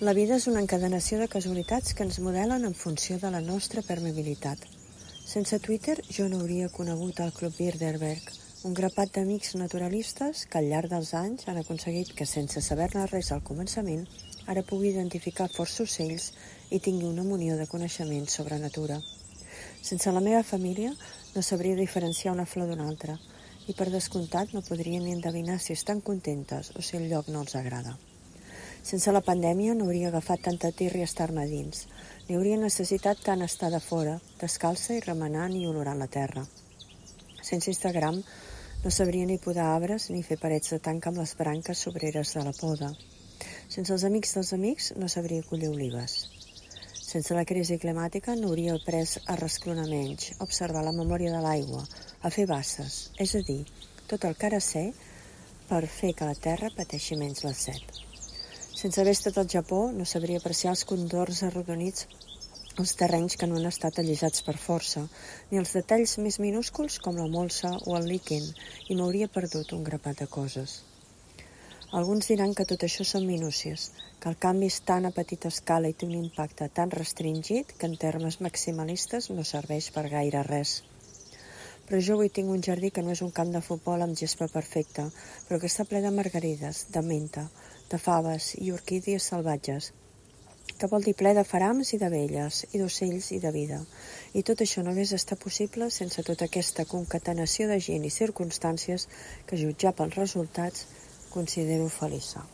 La vida és una encadenació de casualitats que ens modelen en funció de la nostra permeabilitat. Sense Twitter jo no hauria conegut el Club Bilderberg, un grapat d'amics naturalistes que al llarg dels anys han aconseguit que, sense saber-ne res al començament, ara pugui identificar força ocells i tingui una munió de coneixements sobre natura. Sense la meva família no sabria diferenciar una flor d'una altra i per descomptat no podria ni endevinar si estan contentes o si el lloc no els agrada. Sense la pandèmia no hauria agafat tanta tirria estar-me dins, ni hauria necessitat tant estar de fora, descalça i remenant i olorant la terra. Sense Instagram no sabria ni podar arbres ni fer parets de tanca amb les branques sobreres de la poda. Sense els amics dels amics no sabria collir olives. Sense la crisi climàtica no hauria après a resclonar menys, a observar la memòria de l'aigua, a fer basses, és a dir, tot el que ara sé per fer que la terra pateixi menys la set. Sense haver estat al Japó no sabria apreciar els condors arrodonits, els terrenys que no han estat allisats per força, ni els detalls més minúsculs com la molsa o el líquen, i m'hauria perdut un grapat de coses. Alguns diran que tot això són minúcies, que el canvi és tan a petita escala i té un impacte tan restringit que en termes maximalistes no serveix per gaire res. Però jo avui tinc un jardí que no és un camp de futbol amb gespa perfecta, però que està ple de margarides, de menta, de faves i orquídies salvatges, que vol dir ple de farams i d'abelles, i d'ocells i de vida. I tot això no hagués estat possible sense tota aquesta concatenació de gent i circumstàncies que, jutjar pels resultats, considero feliça.